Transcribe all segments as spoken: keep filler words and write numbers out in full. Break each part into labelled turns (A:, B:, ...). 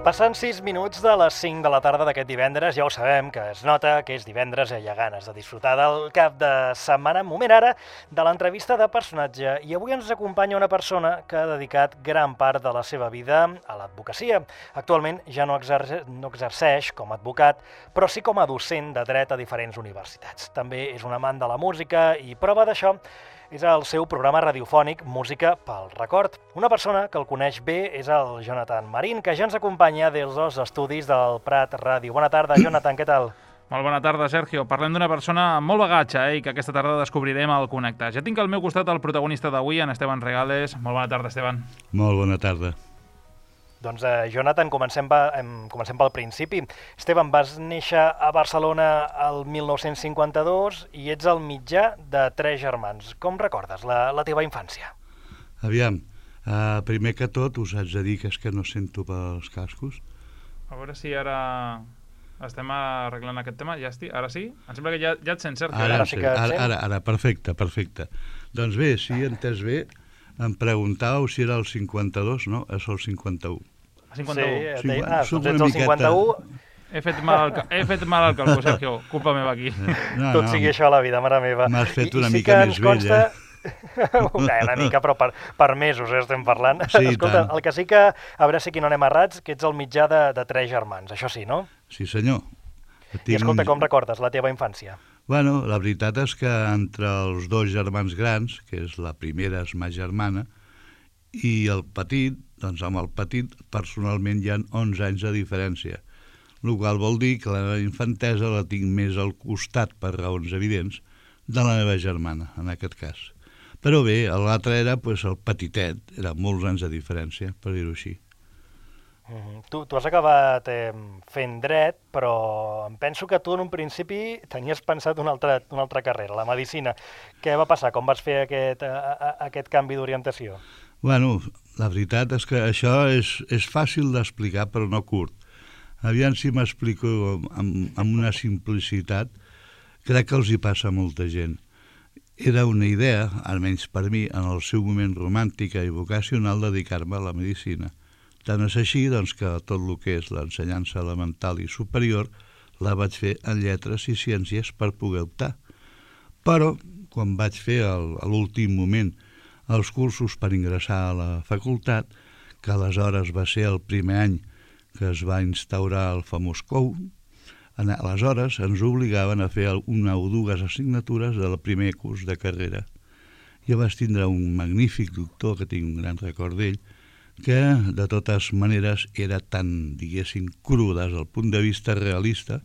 A: Passen sis minuts de les cinc de la tarda d'aquest divendres, ja ho sabem, que es nota que és divendres i hi ha ganes de disfrutar del cap de setmana. Moment ara de l'entrevista de personatge, i avui ens acompanya una persona que ha dedicat gran part de la seva vida a l'advocacia. Actualment ja no, exerce, no exerceix com a advocat, però sí com a docent de dret a diferents universitats. També és un amant de la música i prova d'això és el seu programa radiofònic Música pel Record. Una persona que el coneix bé és el Jonathan Marín, que ja ens acompanya des dels estudis del Prat Ràdio. Bona tarda, Jonathan, què tal?
B: Molt bona tarda, Sergio. Parlem d'una persona amb molt bagatge eh, i que aquesta tarda descobrirem al Connectar. Ja tinc al meu costat el protagonista d'avui, en Esteban Regales. Molt bona tarda, Esteban.
C: Molt bona tarda.
A: Doncs, eh, Jonathan, comencem, va, em, comencem pel principi. Esteban, vas néixer a Barcelona el mil nou-cents cinquanta-dos i ets el mitjà de tres germans. Com recordes la, la teva infància?
C: Aviam, uh, primer que tot us haig de dir que és que no sento pels cascos.
B: A veure si ara estem arreglant aquest tema. Ja estic, ara sí? Em sembla que ja, ja et sents, Sergio.
C: Ara,
A: Ara sí que et
C: ara,
A: sent.
C: ara, ara, perfecte, perfecte. Doncs bé, si he entès bé, em preguntàveu si era el cinquanta-dos, no? És el cinquanta-u.
B: cinquanta-u.
A: Sí,
C: Sí,
A: deia, ah,
C: soc
A: doncs ets
C: una
A: el cinquanta-u,
B: He fet mal al, ca- he fet mal al calcul, Sergio. Culpa meva aquí.
C: No,
A: tot
C: no,
A: sigui això a la vida, mare meva.
C: m'has fet
A: I-
C: una
A: i sí
C: mica
A: que
C: més
A: ens consta...
C: vell,
A: Una, una mica, però per, per mesos eh, estem parlant.
C: Sí, i
A: Escolta,
C: tant.
A: el que sí que, a veure si aquí no anem errats, que ets el mitjà de, de tres germans, això sí, no?
C: Sí, senyor.
A: I escolta,
C: un-
A: com recordes la teva infància?
C: Bueno, la veritat és que entre els dos germans grans, que és la primera és ma germana, i el petit, doncs amb el petit personalment hi ha onze anys de diferència, el qual vol dir que la meva infantesa la tinc més al costat, per raons evidents, de la meva germana, en aquest cas. Però bé, l'altre era pues, el petitet, era molts anys de diferència, per dir-ho així.
A: Mm, tu, tu has acabat eh, fent dret, però em penso que tu en un principi tenies pensat una altra, una altra carrera, la medicina. Què va passar? Com vas fer aquest, a, a, aquest canvi d'orientació?
C: Bueno, la veritat és que això és, és fàcil d'explicar, però no curt. Aviam si m'explico amb, amb una simplicitat, crec que els hi passa a molta gent. Era una idea, almenys per mi, en el seu moment romàntica i vocacional, dedicar-me a la medicina. Tant és així doncs, que tot el que és l'ensenyança elemental i superior la vaig fer en lletres i ciències per poder optar. Però, quan vaig fer el, a l'últim moment els cursos per ingressar a la facultat, que aleshores va ser el primer any que es va instaurar el famós C O U, aleshores ens obligaven a fer una o dues assignatures del primer curs de carrera. Jo vaig tindre un magnífic doctor, que tinc un gran record d'ell, que de totes maneres era tan, diguéssim, cru des del punt de vista realista,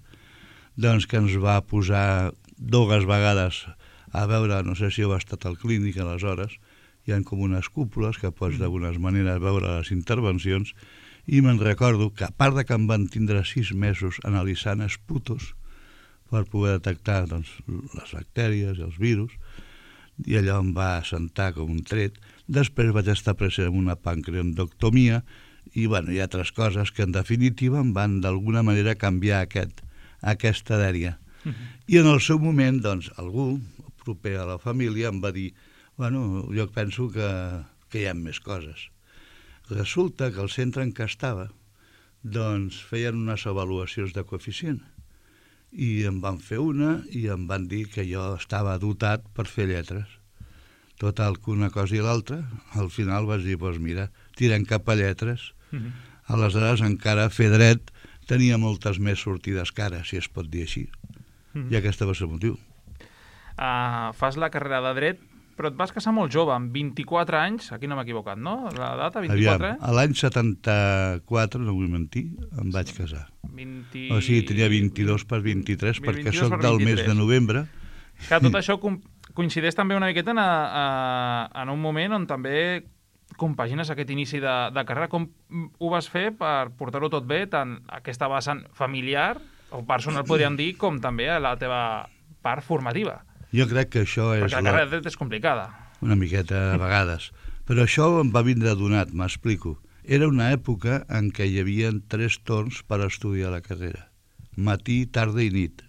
C: doncs que ens va posar dues vegades a veure, no sé si heu estat al clínic aleshores, hi ha com unes cúpules que pots d'algunes maneres veure les intervencions, i me'n recordo que a part de que em van tindre sis mesos analitzant esputos per poder detectar doncs, les bactèries i els virus, i allò em va assentar com un tret. Després vaig estar present en una pancreatectomia i, bueno, hi ha altres coses que en definitiva em van d'alguna manera canviar aquest, aquesta dèria. Uh-huh. I en el seu moment, doncs, algú proper a la família em va dir bueno, jo penso que, que hi ha més coses. Resulta que el centre en què estava doncs feien unes avaluacions de coeficient i em van fer una i em van dir que jo estava dotat per fer lletres. Total, que una cosa i l'altra, al final vaig dir, doncs mira, tirem cap a lletres. Uh-huh. Aleshores encara fer dret tenia moltes més sortides cares, si es pot dir així. Uh-huh. I aquest va ser el motiu.
B: Uh, fas la carrera de dret, però et vas casar molt jove, amb vint-i-quatre anys, aquí no m'he equivocat, no? La data, vint-i-quatre?
C: Aviam, a l'any setanta-quatre, no vull mentir, em vaig casar.
B: vint...
C: O sigui, tenia vint-i-dos per vint-i-tres, perquè
B: vint-i-dos
C: soc
B: per
C: del mes
B: vint-i-tres.
C: de novembre.
B: Que tot això com- coincideix també una miqueta en, a, a, en un moment on també compagines aquest inici de, de carrera. Com ho vas fer per portar-ho tot bé, tant aquesta vessant familiar o personal, podríem dir, com també a la teva part formativa?
C: Jo crec que això és...
B: Perquè la carrera de dret és complicada.
C: Una miqueta a vegades. Però això em va vindre donat, m'explico. Era una època en què hi havia tres torns per estudiar la carrera. Matí, tarda i nit.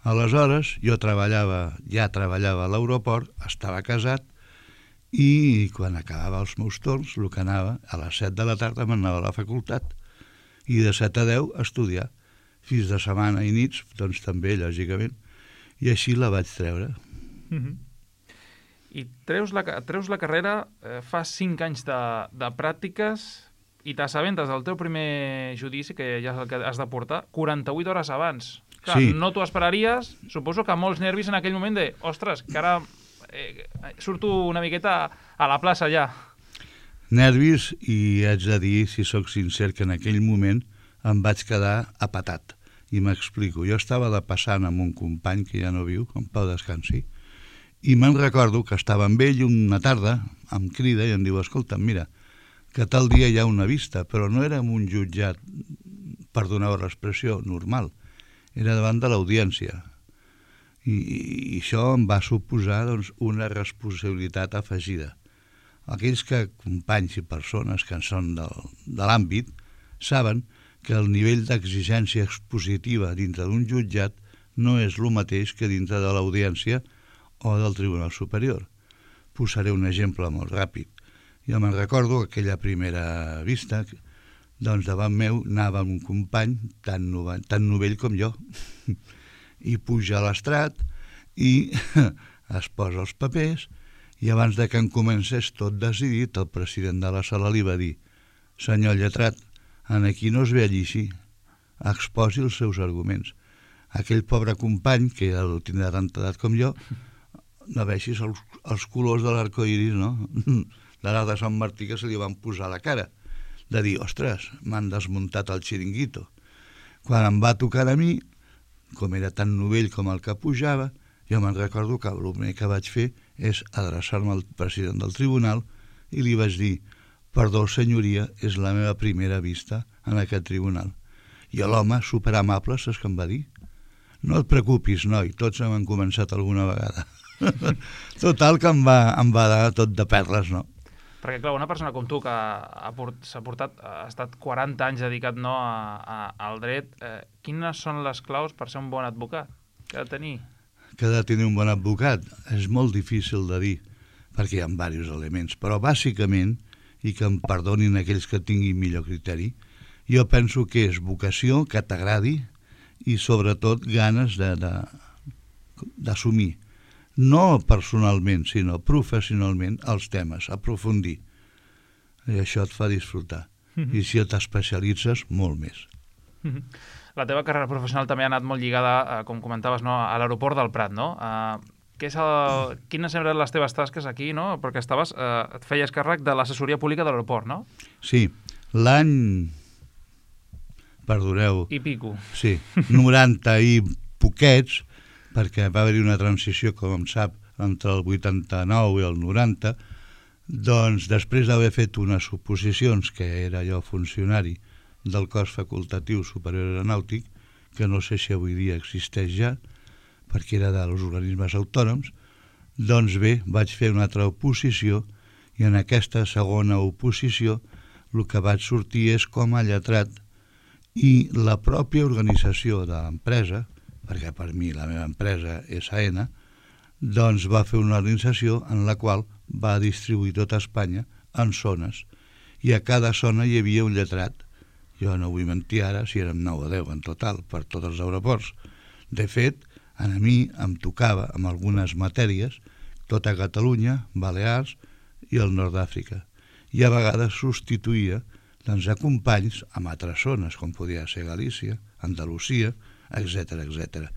C: Aleshores, jo treballava, ja treballava a l'aeroport, estava casat, i quan acabava els meus torns, el que anava, a les set de la tarda m'anava a la facultat. i de set a deu estudiar. Fins de setmana i nits, doncs també, lògicament. I així la vaig treure.
B: Mm-hmm. I treus la, treus la carrera, eh, fa cinc anys de, de pràctiques i t'assabentes del teu primer judici, que ja és el que has de portar, quaranta-vuit hores abans. Clar,
C: sí.
B: No t'ho esperaries, suposo que molts nervis en aquell moment de, ostres, que ara eh, surto una miqueta a la plaça ja.
C: Nervis, i haig de dir, si sóc sincer, que en aquell moment em vaig quedar apatat. I m'explico. Jo estava de passant amb un company que ja no viu, en pau descansi, i me'n recordo que estava amb ell una tarda, em crida i em diu, escolta, mira, que tal dia hi ha una vista, però no era en un jutjat, perdoneu l'expressió, normal. Era davant de l'audiència. I, i això em va suposar doncs, una responsabilitat afegida. Aquells que, companys i persones que en són del, de l'àmbit, saben que el nivell d'exigència expositiva dintre d'un jutjat no és el mateix que dintre de l'audiència o del Tribunal Superior. Posaré un exemple molt ràpid. Jo me'n recordo que aquella primera vista, doncs davant meu anava un company tan, novell, tan novell com jo, i puja a l'estrat i es posa els papers, i abans de que en comencés tot decidit, el president de la sala li va dir: senyor lletrat, en aquí no es ve a llegir, exposi els seus arguments. Aquell pobre company, que el tindrà tanta edat com jo, no veixis els, els colors de l'arcoiris, no? De l'arc de Sant Martí que se li van posar a la cara, de dir, ostres, m'han desmuntat el xiringuito. Quan em va tocar a mi, com era tan novell com el que pujava, jo me'n recordo que el primer que vaig fer és adreçar-me al president del tribunal i li vaig dir: perdó, senyoria, és la meva primera vista en aquest tribunal. I l'home, superamable, saps què em va dir? No et preocupis, noi, tots hem començat alguna vegada. Total, que em va, em va dar tot de perles, no?
B: Perquè, clar, una persona com tu que ha, port, s'ha portat, ha estat quaranta anys dedicat no, a, a, al dret, eh, quines són les claus per ser un bon advocat que ha de tenir?
C: Que ha de tenir un bon advocat és molt difícil de dir, perquè hi ha diversos elements, però bàsicament, i que em perdonin aquells que tinguin millor criteri, jo penso que és vocació, que t'agradi, i sobretot ganes de, de, d'assumir, no personalment, sinó professionalment, els temes, aprofundir. I això et fa disfrutar. Mm-hmm. I si t'especialitzes, molt més.
B: Mm-hmm. La teva carrera professional també ha anat molt lligada, eh, com comentaves, no, a l'aeroport del Prat, no? Eh, què és el, quines eren les teves tasques aquí, no? Perquè estaves, eh, et feies càrrec de l'assessoria pública de l'aeroport, no?
C: Sí, l'any... Perdoneu.
B: I pico.
C: Sí, noranta i poquets, perquè va haver-hi una transició, com em sap, entre el vuitanta-nou i el noranta, doncs després d'haver fet unes oposicions, que era jo funcionari del cos facultatiu superior aeronàutic, que no sé si avui dia existeix ja, perquè era dels organismes autònoms, doncs bé, vaig fer una altra oposició, i en aquesta segona oposició el que vaig sortir és com a lletrat, i la pròpia organització de l'empresa, perquè per mi la meva empresa és A N A, doncs va fer una organització en la qual va distribuir tota Espanya en zones, i a cada zona hi havia un lletrat. Jo no vull mentir ara si érem nou o deu en total per tots els aeroports. De fet, a mi em tocava amb algunes matèries tota Catalunya, Balears i el nord d'Àfrica, i a vegades substituïa doncs, a companys amb altres zones, com podia ser Galícia, Andalusia, etcètera, etcètera.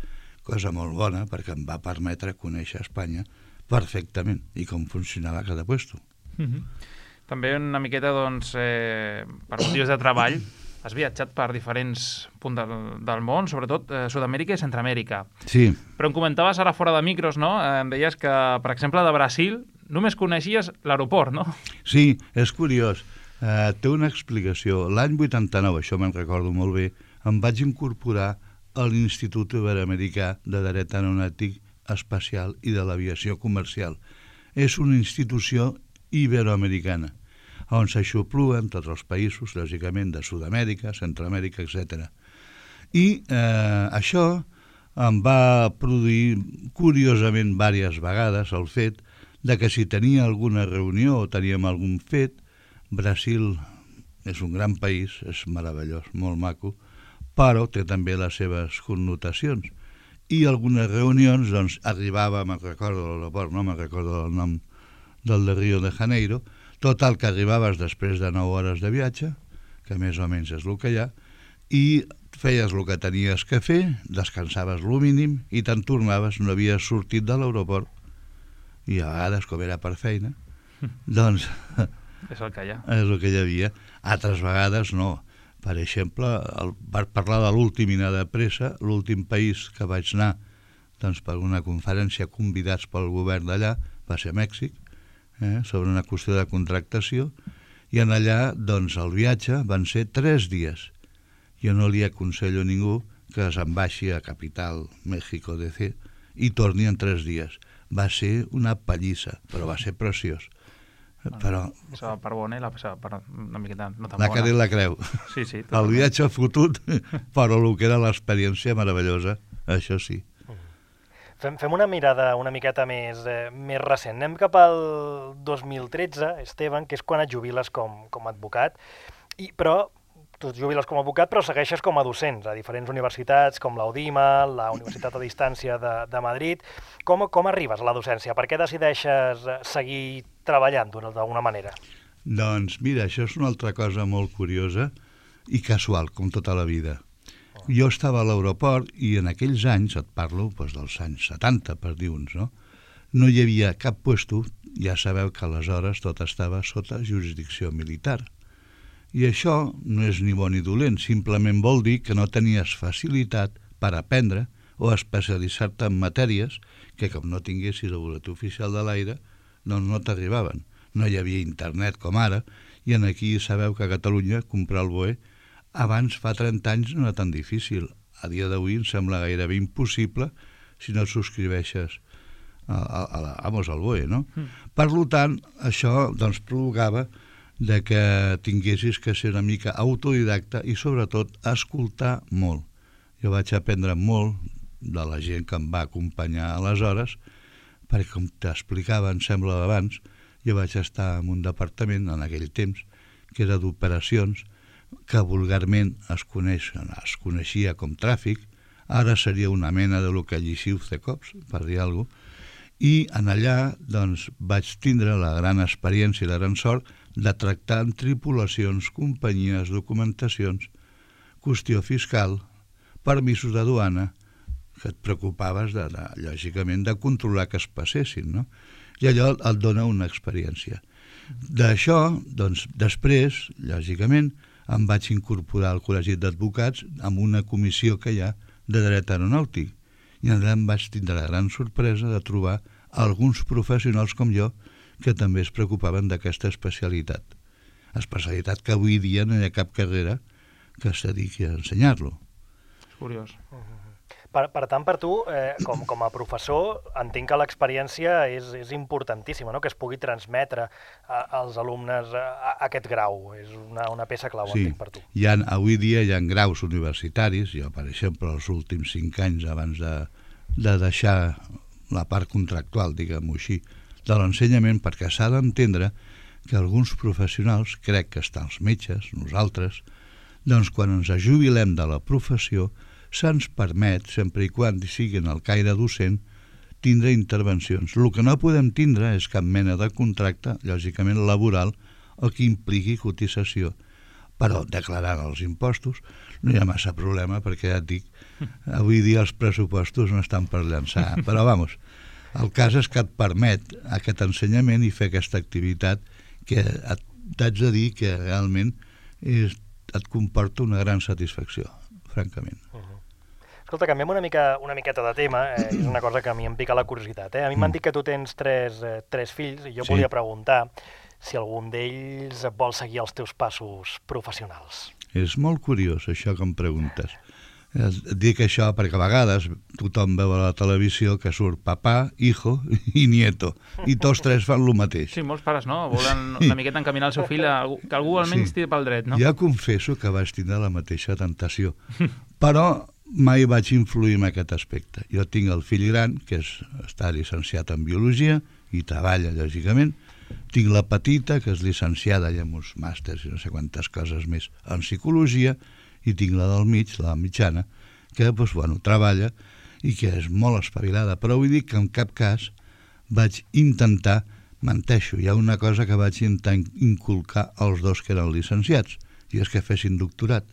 C: Cosa molt bona perquè em va permetre conèixer Espanya perfectament i com funcionava cada puesto.
B: Mm-hmm. També una miqueta, doncs, eh, per motius de treball, has viatjat per diferents punts del, del món, sobretot eh, Sud-amèrica i Centroamèrica.
C: Sí.
B: Però em comentaves ara fora de micros, no? Eh, em deies que, per exemple, de Brasil només coneixies l'aeroport, no?
C: Sí, és curiós. Uh, té una explicació. L'any vuitanta-nou, això me'n recordo molt bé, em vaig incorporar a l'Institut Iberoamericà de Dret Aeronàutic Espacial i de l'Aviació Comercial. És una institució iberoamericana, on s'aixopluen tots els països, lògicament, de Sud-amèrica, Centroamèrica, etcètera. I eh, això em va produir, curiosament, diverses vegades el fet de que si tenia alguna reunió o teníem algun fet, Brasil és un gran país, és meravellós, molt maco, però té també les seves connotacions. I algunes reunions, doncs, arribava, me'n recordo de l'aeroport, no me'n recordo el nom del de Rio de Janeiro, total que arribaves després de nou hores de viatge, que més o menys és el que hi ha, i feies el que tenies que fer, descansaves el mínim i te'n tornaves, no havies sortit de l'aeroport. I a vegades, com era per feina, doncs
B: és el que hi ha.
C: És el que hi havia. Altres vegades no. Per exemple, el, per parlar de l'últim i anar de pressa, l'últim país que vaig anar doncs, per una conferència convidats pel govern d'allà va ser Mèxic, eh, sobre una qüestió de contractació, i en allà doncs, el viatge van ser tres dies. Jo no li aconsello a ningú que se'n baixi a Capital, México D C, i torni en tres dies. Va ser una pallissa, però va ser preciós. Però
B: La part bona i la part una miqueta no tan
C: la
B: bona.
C: cara i la creu.
B: Sí, sí.
C: El viatge fotut, però el que era l'experiència meravellosa, això sí.
A: Fem, fem una mirada una miqueta més, eh, més recent. Anem cap al dos mil tretze, Esteban, que és quan et jubiles com, com a advocat, i, però tu et jubiles com a advocat, però segueixes com a docents a diferents universitats, com l'Audima, la Universitat a Distància de, de Madrid. Com, com arribes a la docència? Per què decideixes seguir treballant d'alguna manera?
C: Doncs mira, això és una altra cosa molt curiosa i casual, com tota la vida. Jo estava a l'aeroport i en aquells anys, et parlo doncs, dels anys setanta, per dir uns, no? No hi havia cap puesto, ja sabeu que aleshores tot estava sota jurisdicció militar. I això no és ni bo ni dolent, simplement vol dir que no tenies facilitat per aprendre o especialitzar-te en matèries que, com no tinguessis el boletí oficial de l'aire, doncs no t'arribaven. No hi havia internet com ara, i en aquí sabeu que a Catalunya comprar el B O E abans, fa trenta anys, no era tan difícil. A dia d'avui em sembla gairebé impossible si no et subscriveixes a, a, a la, vamos, al B O E, no? Mm. Per tant, això doncs, provocava de que tinguessis que ser una mica autodidacta i sobretot escoltar molt. Jo vaig aprendre molt de la gent que em va acompanyar aleshores, perquè com t'explicava, em sembla d'abans, jo vaig estar en un departament en aquell temps que era d'operacions, que vulgarment es, coneix, es coneixia com tràfic, ara seria una mena de lo que lliciu de cops, per dir alguna cosa, i en allà doncs, vaig tindre la gran experiència i la gran sort de tractar amb tripulacions, companyies, documentacions, qüestió fiscal, permisos de duana, que et preocupaves, de, de, lògicament, de controlar que es passessin, no? I allò et dona una experiència. D'això, doncs, després, lògicament, em vaig incorporar al Col·legi d'Advocats amb una comissió que hi ha de dret aeronàutic. I allà em vaig tindre la gran sorpresa de trobar alguns professionals com jo que també es preocupaven d'aquesta especialitat. Especialitat que avui dia no hi ha cap carrera que es dediqui a ensenyar-lo.
B: És curiós.
A: Uh-huh. Per, per tant, per tu, eh, com, com a professor, entenc que l'experiència és, és importantíssima, no? Que es pugui transmetre a, als alumnes a, a aquest grau. És una, una peça clau,
C: sí.
A: Entenc, per tu.
C: Hi ha, avui dia hi ha graus universitaris, jo, per exemple, els últims cinc anys abans de, de deixar la part contractual, diguem-ho així, de l'ensenyament, perquè s'ha d'entendre que alguns professionals, crec que estan els metges, nosaltres, doncs quan ens jubilem de la professió, se'ns permet, sempre i quan siguin el caire docent, tindre intervencions. El que no podem tindre és cap mena de contracte, lògicament laboral, o que impliqui cotització. Però declarant els impostos no hi ha massa problema, perquè ja et dic, avui dia els pressupostos no estan per llançar. Però, vamos, el cas és que et permet aquest ensenyament i fer aquesta activitat que t'haig de dir que realment és, et comporta una gran satisfacció, francament.
A: Uh-huh. Escolta, canviem una, mica, una miqueta de tema, eh, és una cosa que a mi em pica la curiositat. Eh? A mi m'han dit que tu tens tres, eh, tres fills i jo
C: Sí.
A: volia preguntar si algun d'ells vol seguir els teus passos professionals.
C: És molt curiós això que em preguntes. Et dic això perquè a vegades tothom veu a la televisió que surt papà, hijo i nieto, i tots tres fan el mateix.
B: Sí, molts pares, no? Volen una miqueta encaminar el seu fill a algú, que algú almenys
C: Sí.
B: tiri pel dret, no?
C: Jo confesso que vaig tindre la mateixa tentació, però mai vaig influir en aquest aspecte. Jo tinc el fill gran, que és, està llicenciat en Biologia i treballa, lògicament, Tinc la petita, que és llicenciada i amb uns màsters i no sé quantes coses més en psicologia, i tinc la del mig, la mitjana, que doncs, bueno, treballa i que és molt espavilada. Però vull dir que en cap cas vaig intentar, menteixo, hi ha una cosa que vaig intentar inculcar als dos que eren llicenciats, i és que fessin doctorat.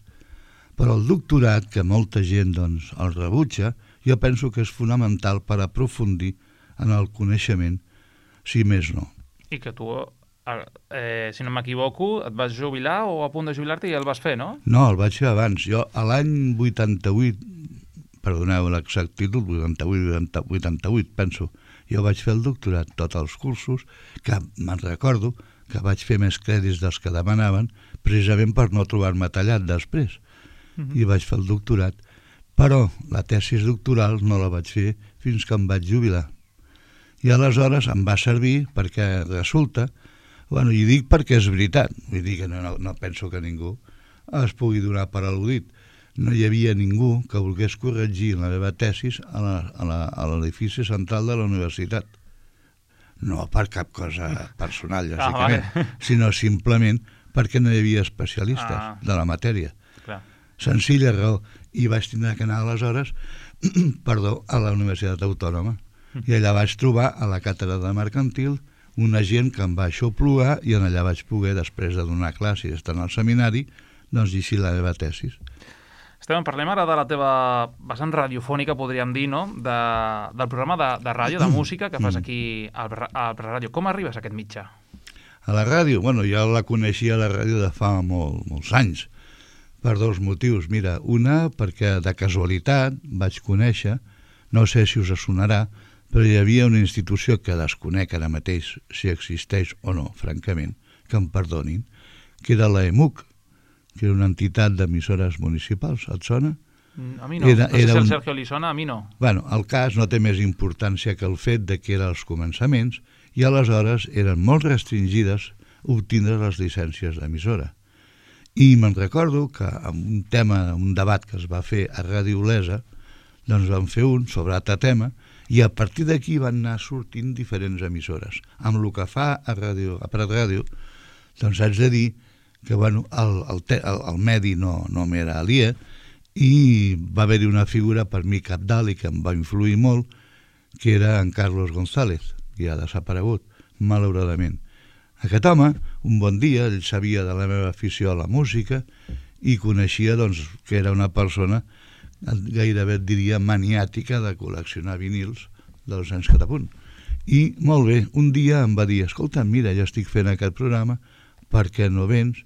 C: Però el doctorat, que molta gent doncs, el rebutja, jo penso que és fonamental per aprofundir en el coneixement, si més no.
B: I que tu, eh, si no m'equivoco, et vas jubilar o a punt de jubilar-te i el vas fer, no?
C: No, el vaig fer abans. Jo, a l'any vuitanta-vuit, perdoneu l'exactitud, vuitanta-vuit, vuitanta-vuit, penso, jo vaig fer el doctorat, tots els cursos, que me'n recordo que vaig fer més crèdits dels que demanaven, precisament per no trobar-me tallat després. Uh-huh. I vaig fer el doctorat. Però la tesis doctoral no la vaig fer fins que em vaig jubilar. I aleshores em va servir perquè resulta, bueno, i dic perquè és veritat, vull dir que no, no, no penso que ningú es pugui donar per al·ludit. No hi havia ningú que volgués corregir la meva tesis a l'edifici central de la universitat. No per cap cosa personal, lògicament, ah, vale. Sinó simplement perquè no hi havia especialistes ah. de la matèria.
B: Clar.
C: Senzilla raó. I vaig tindre que anar aleshores perdó, a la Universitat Autònoma. I allà vaig trobar a la càtedra de mercantil una gent que em va aixoplugar i en allà vaig poder, després de donar classes i estar en el seminari, doncs llegir la meva tesis.
B: Esteban, parlem ara de la teva vessant radiofònica, podríem dir, no? De, del programa de, de ràdio, de música, que fas aquí al, al Preràdio. Com arribes a aquest mitjà?
C: A la ràdio? Bueno, jo la coneixia a la ràdio de fa molt, molts anys, per dos motius. Mira, una, perquè de casualitat vaig conèixer, no sé si us sonarà, però hi havia una institució que desconec ara mateix si existeix o no, francament, que em perdonin, que era la E M U C, que era una entitat d'emissores municipals. Et sona?
B: A mi no. Era, no sé si el Sergio li sona, a mi no.
C: Bueno, el cas no té més importància que el fet de que eren els començaments i aleshores eren molt restringides obtindre les llicències d'emissora. I me'n recordo que en un tema, un debat que es va fer a Ràdio Olesa, doncs vam fer un sobre altre tema i a partir d'aquí van anar sortint diferents emissores. Amb el que fa a Ràdio, a Prat Ràdio, doncs haig de dir que bueno, el, el, el, el medi no, no m'era aliè i va haver-hi una figura per mi cabdal i que em va influir molt, que era en Carlos González, que ha desaparegut, malauradament. Aquest home, un bon dia, ell sabia de la meva afició a la música i coneixia doncs, que era una persona gairebé et diria maniàtica de col·leccionar vinils dels anys Catapunt. I molt bé, un dia em va dir, escolta, mira, jo estic fent aquest programa, per què no vens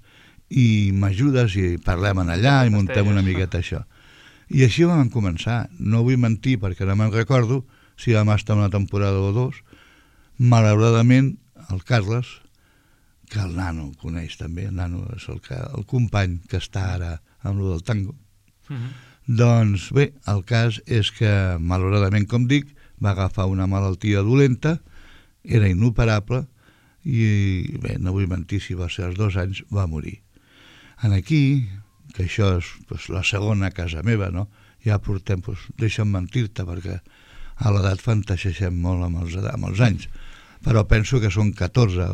C: i m'ajudes i parlem en allà i muntem una miqueta això. I així vam començar. No vull mentir perquè no me'n recordo si vam estar una temporada o dos. Malauradament, el Carles, que el nano el coneix també, el nano és el, que, el company que està ara amb lo del tango, uh-huh. Doncs bé, el cas és que malauradament, com dic, va agafar una malaltia dolenta, era inoperable i bé, no vull mentir si va ser als dos anys, va morir. En aquí, que això és pues, la segona casa meva, no? Ja portem, pues, deixa'm mentir-te perquè a l'edat fantasegem molt amb els, amb els anys, però penso que són catorze,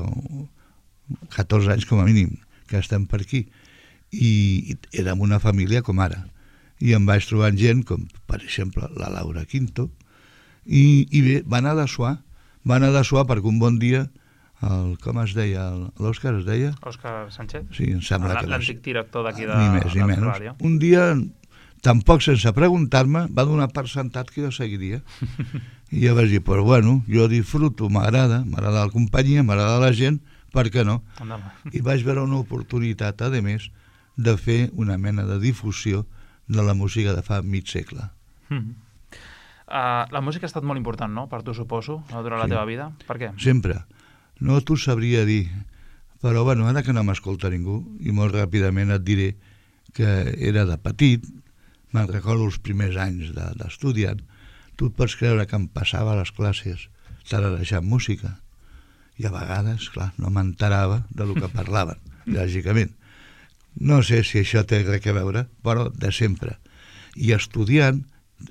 C: catorze anys com a mínim que estem per aquí i érem una família com ara. I em vaig trobar gent com, per exemple, la Laura Quinto, i, i bé, va anar de suar, va anar de suar perquè un bon dia, el, com es deia, l'Òscar es deia?
B: Òscar Sánchez?
C: Sí, em sembla que...
B: L'antic director d'aquí de,
C: ni més, ni menys. Ràdio. Un dia, tampoc sense preguntar-me, va donar per sentat que jo seguiria. I jo vaig dir, però bueno, jo disfruto, m'agrada, m'agrada la companyia, m'agrada la gent, per què no?
B: Endavant.
C: I vaig veure una oportunitat, a més, de fer una mena de difusió de la música de fa mig segle.
B: Mm. Uh, la música ha estat molt important, no?, per tu, suposo, durant sí. la teva vida. Per què?
C: Sempre. No t'ho sabria dir, però bueno, ara que no m'escolta ningú, i molt ràpidament et diré que era de petit, me'n recordo els primers anys d'estudiant, tu et pots creure que em passava les classes tararejant música, i a vegades, clar, no m'enterava de lo que parlaven, lògicament. No sé si això té res a veure, però de sempre. I estudiant,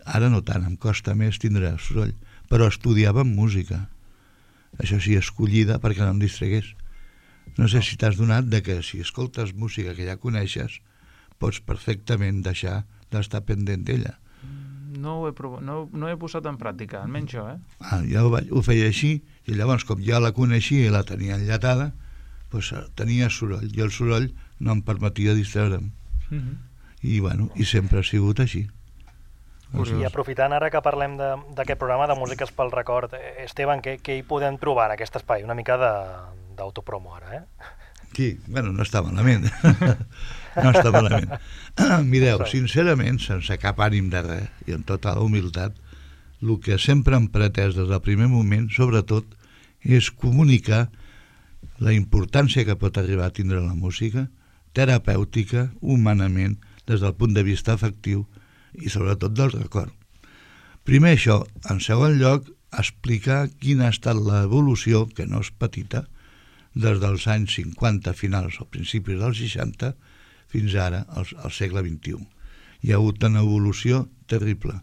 C: ara no tant, em costa més tindre el soroll, però estudiàvem música. això sí, escollida perquè no em distragués. No sé si t'has donat de que si escoltes música que ja coneixes, pots perfectament deixar d'estar pendent d'ella.
B: No ho he, provat, no, no he posat en pràctica, almenys jo, eh?
C: Ah, jo ho, vaig, ho feia així, i llavors, com ja la coneixia i la tenia enllatada, doncs tenia soroll, i el soroll no em permetia distreure'm.
B: Uh-huh.
C: I, bueno, i sempre ha sigut així.
A: I aprofitant ara que parlem d'aquest programa de Músiques pel Record, Esteban, què, què hi podem trobar en aquest espai? Una mica d'autopromo ara, eh?
C: Sí, bueno, no està malament. No està malament. Mireu, sincerament, sense cap ànim de res, i amb tota la humilitat, el que sempre hem pretès des del primer moment, sobretot, és comunicar la importància que pot arribar a tindre la música, terapèutica, humanament, des del punt de vista afectiu i sobretot del record. Primer això, en segon lloc, explicar quina ha estat l'evolució, que no és petita, des dels anys cinquanta finals o principis dels seixanta fins ara, al, al segle vint-i-u. Hi ha hagut una evolució terrible.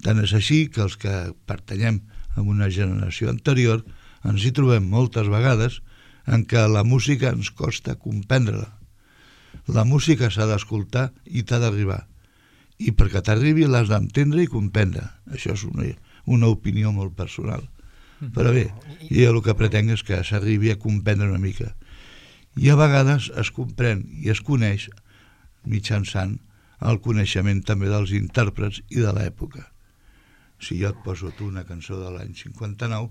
C: Tant és així que els que pertanyem a una generació anterior ens hi trobem moltes vegades en què la música ens costa comprendre-la. La música s'ha d'escoltar i t'ha d'arribar. I perquè t'arribi l'has d'entendre i comprendre. Això és una, una opinió molt personal. Però bé, jo el que pretenc és que s'arribi a comprendre una mica. I a vegades es comprèn i es coneix mitjançant el coneixement també dels intèrprets i de l'època. Si jo et poso tu una cançó de l'any cinquanta-nou,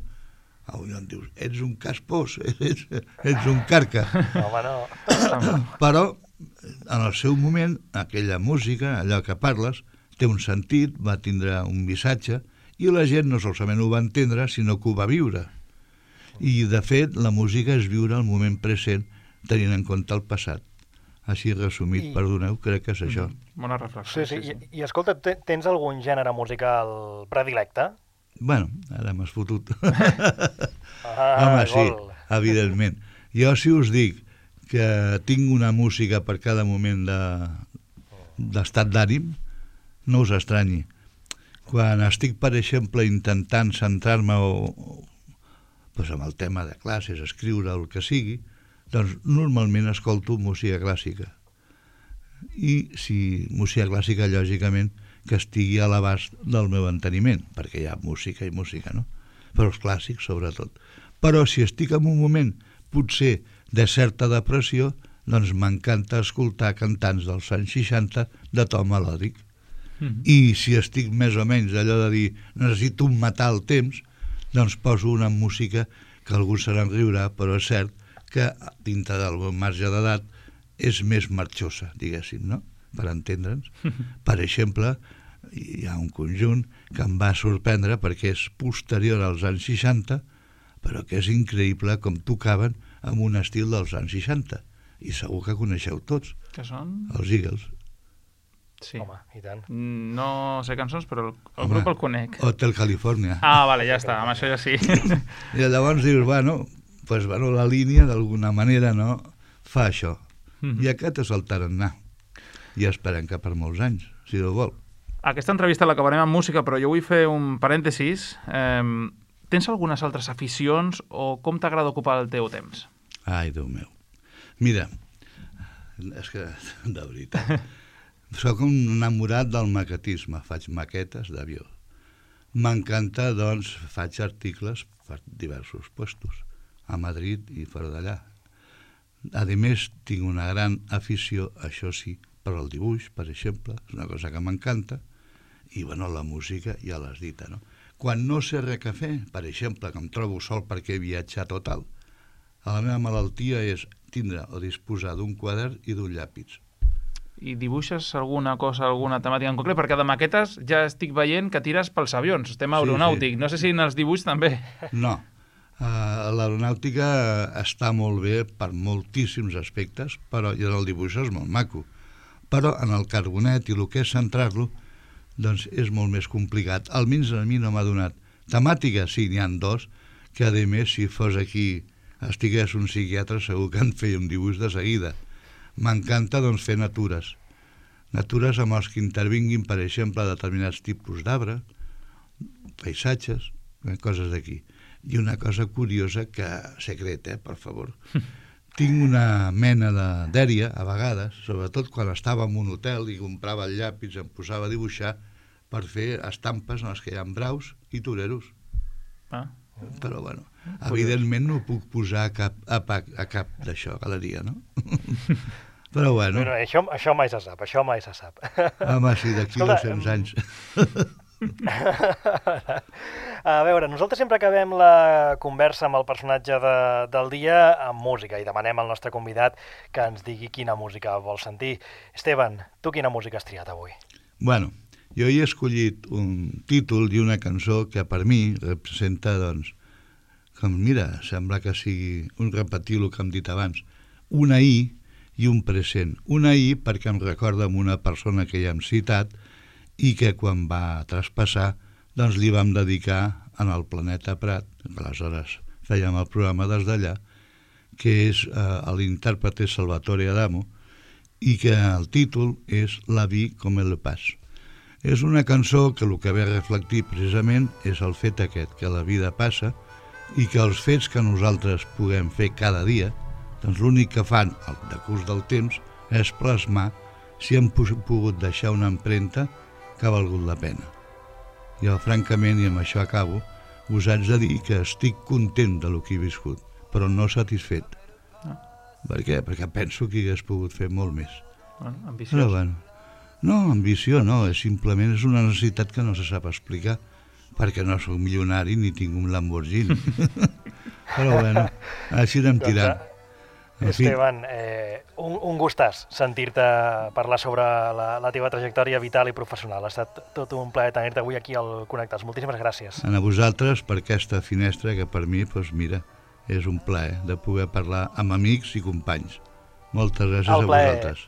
C: avui em dius, ets un caspós, ets, ets un carca.
A: Home, no.
C: Però, en el seu moment, aquella música, allò que parles, té un sentit, va tindre un missatge, i la gent no solament ho va entendre, sinó que ho va viure. I, de fet, la música és viure el moment present, tenint en compte el passat. Així resumit, I... perdoneu, crec que és això.
B: Bona reflexió.
A: Sí, sí. sí, sí. I, I escolta, tens algun gènere musical predilecte?
C: Bueno, ara m'has fotut.
A: Ah,
C: home, sí,
A: gol.
C: evidentment. Jo, si us dic que tinc una música per cada moment d'estat de, d'ànim, no us estranyi. Quan estic, per exemple, intentant centrar-me o, o doncs amb el tema de classes, escriure, el que sigui, doncs normalment escolto música clàssica. I si música clàssica, lògicament, que estigui a l'abast del meu enteniment, perquè hi ha música i música, no? Però els clàssics, sobretot. Però si estic en un moment, potser, de certa depressió, doncs m'encanta escoltar cantants dels anys seixanta de to melòdic. Mm-hmm. I si estic més o menys allò de dir necessito matar el temps, doncs poso una música que algú se n'enriurà, però és cert que dintre del meu marge d'edat és més marxosa, diguéssim, no? Per entendre'ns. Per exemple, hi ha un conjunt que em va sorprendre perquè és posterior als anys seixanta, però que és increïble com tocaven amb un estil dels anys seixanta. I segur que coneixeu tots.
B: Que són?
C: Els Eagles.
B: Sí.
A: Home, i tant.
B: No sé cançons, però el, el
C: Home,
B: grup el conec.
C: Hotel California.
B: Ah, vale, ja està, amb això ja sí.
C: I llavors dius, bueno, pues, bueno la línia d'alguna manera no fa això. Mm-hmm. I aquest és el tarannà. I esperem que per molts anys, si Déu vol.
B: Aquesta entrevista l'acabarem amb música, però jo vull fer un parèntesis. Eh, tens algunes altres aficions o com t'agrada ocupar el teu temps?
C: Ai, Déu meu. Mira, és que, de veritat, soc un enamorat del maquetisme, faig maquetes d'avió. M'encanta, doncs, faig articles per diversos puestos, a Madrid i fora d'allà. A més, tinc una gran afició, això sí, per al dibuix, per exemple, és una cosa que m'encanta, i, bueno, la música ja l'has dita, no? Quan no sé res què fer, per exemple, que em trobo sol perquè he viatjat o tal, la meva malaltia és tindre o disposar d'un quadern i d'un llapis.
B: I dibuixes alguna cosa, alguna temàtica en concret? Perquè de maquetes ja estic veient que tires pels avions, tema aeronàutic. Sí, sí. No sé si en els dibuixos també.
C: No. Uh, l'aeronàutica està molt bé per moltíssims aspectes, però i en el dibuix és molt maco. Però en el carbonet i el que és centrar-lo, doncs és molt més complicat. Almenys a mi no m'ha donat. Temàtica, sí, n'hi ha dos, que a més, si fos aquí, estigués un psiquiatre, segur que en feia un dibuix de seguida. M'encanta, doncs, fer natures. Natures amb els que intervinguin, per exemple, determinats tipus d'arbre, paisatges, coses d'aquí. I una cosa curiosa que, secret, eh, per favor, tinc una mena de dèria, a vegades, sobretot quan estava en un hotel i comprava el llapis, em posava a dibuixar per fer estampes en les que hi ha braus i toreros.
B: Ah.
C: Però, bueno, evidentment no ho puc posar a cap, a, a cap d'això, galeria, no? Però, bueno...
A: Però això, això mai se sap, això mai se sap.
C: Home, sí, d'aquí dos-cents anys.
A: A veure, nosaltres sempre acabem la conversa amb el personatge de, del dia amb música i demanem al nostre convidat que ens digui quina música vol sentir. Esteban, tu quina música has triat avui?
C: Bueno, jo he escollit un títol i una cançó que per mi representa, doncs, com, mira, sembla que sigui un repetir el que hem dit abans, una I i un present. Una I perquè em recorda amb una persona que ja hem citat i que quan va traspassar doncs li vam dedicar en el Planeta Prat, que aleshores fèiem el programa des d'allà, que és eh, l'intèrpret és Salvatore Adamo i que el títol és La vie comme elle passe. És una cançó que el que ve a reflectir precisament és el fet aquest, que la vida passa i que els fets que nosaltres puguem fer cada dia, doncs l'únic que fan al decurs del temps és plasmar si hem pogut deixar una empremta que ha valgut la pena. Jo, francament, i amb això acabo, us haig de dir que estic content de lo que he viscut, però no satisfet.
B: Ah.
C: Per què? Perquè penso que hi hagués pogut fer molt més.
B: Bueno, ambiciós.
C: Però, bueno, no, ambició no, és simplement és una necessitat que no se sap explicar, perquè no soc milionari ni tinc un Lamborghini. Però, bueno, així anem tirant.
A: Esteban, eh, un, un gustàs sentir-te parlar sobre la, la teva trajectòria vital i professional. Ha estat tot un plaer tenir-te avui aquí al Connectats. Moltíssimes gràcies.
C: A vosaltres per aquesta finestra que per mi, doncs mira, és un plaer de poder parlar amb amics i companys. Moltes gràcies a vosaltres.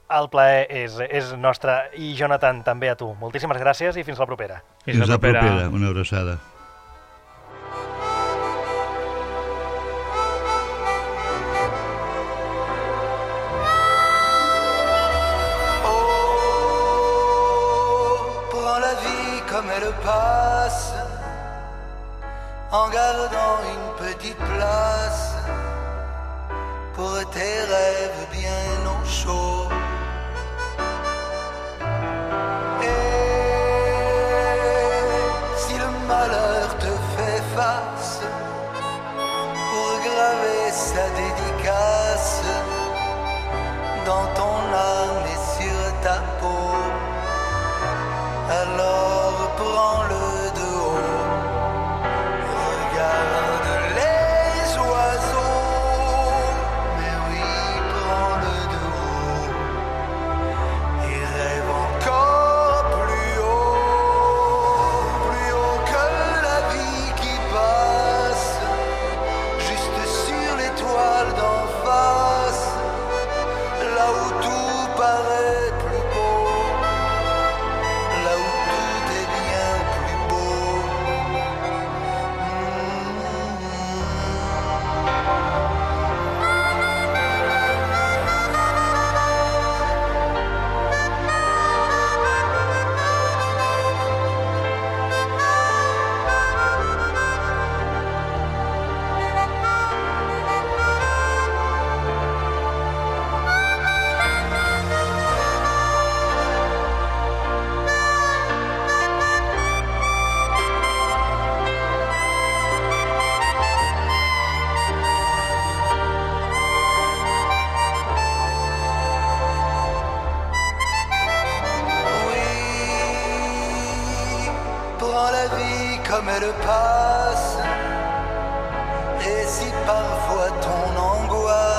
A: El plaer és, és nostre i, Jonathan, també a tu. Moltíssimes gràcies i fins la propera.
C: Fins la propera. Una abraçada.
D: Passe en gardant une petite place pour tes rêves bien au chaud. Et si le malheur te fait face, pour graver sa dédicace dans ton âme et sur ta peau, alors prends-le de haut, regarde les oiseaux, mais oui, prends-le de haut, et rêve encore plus haut, plus haut que la vie qui passe, juste sur l'étoile d'en face, là où tout paraît plus beau. Comme elle passe, et si parfois ton angoisse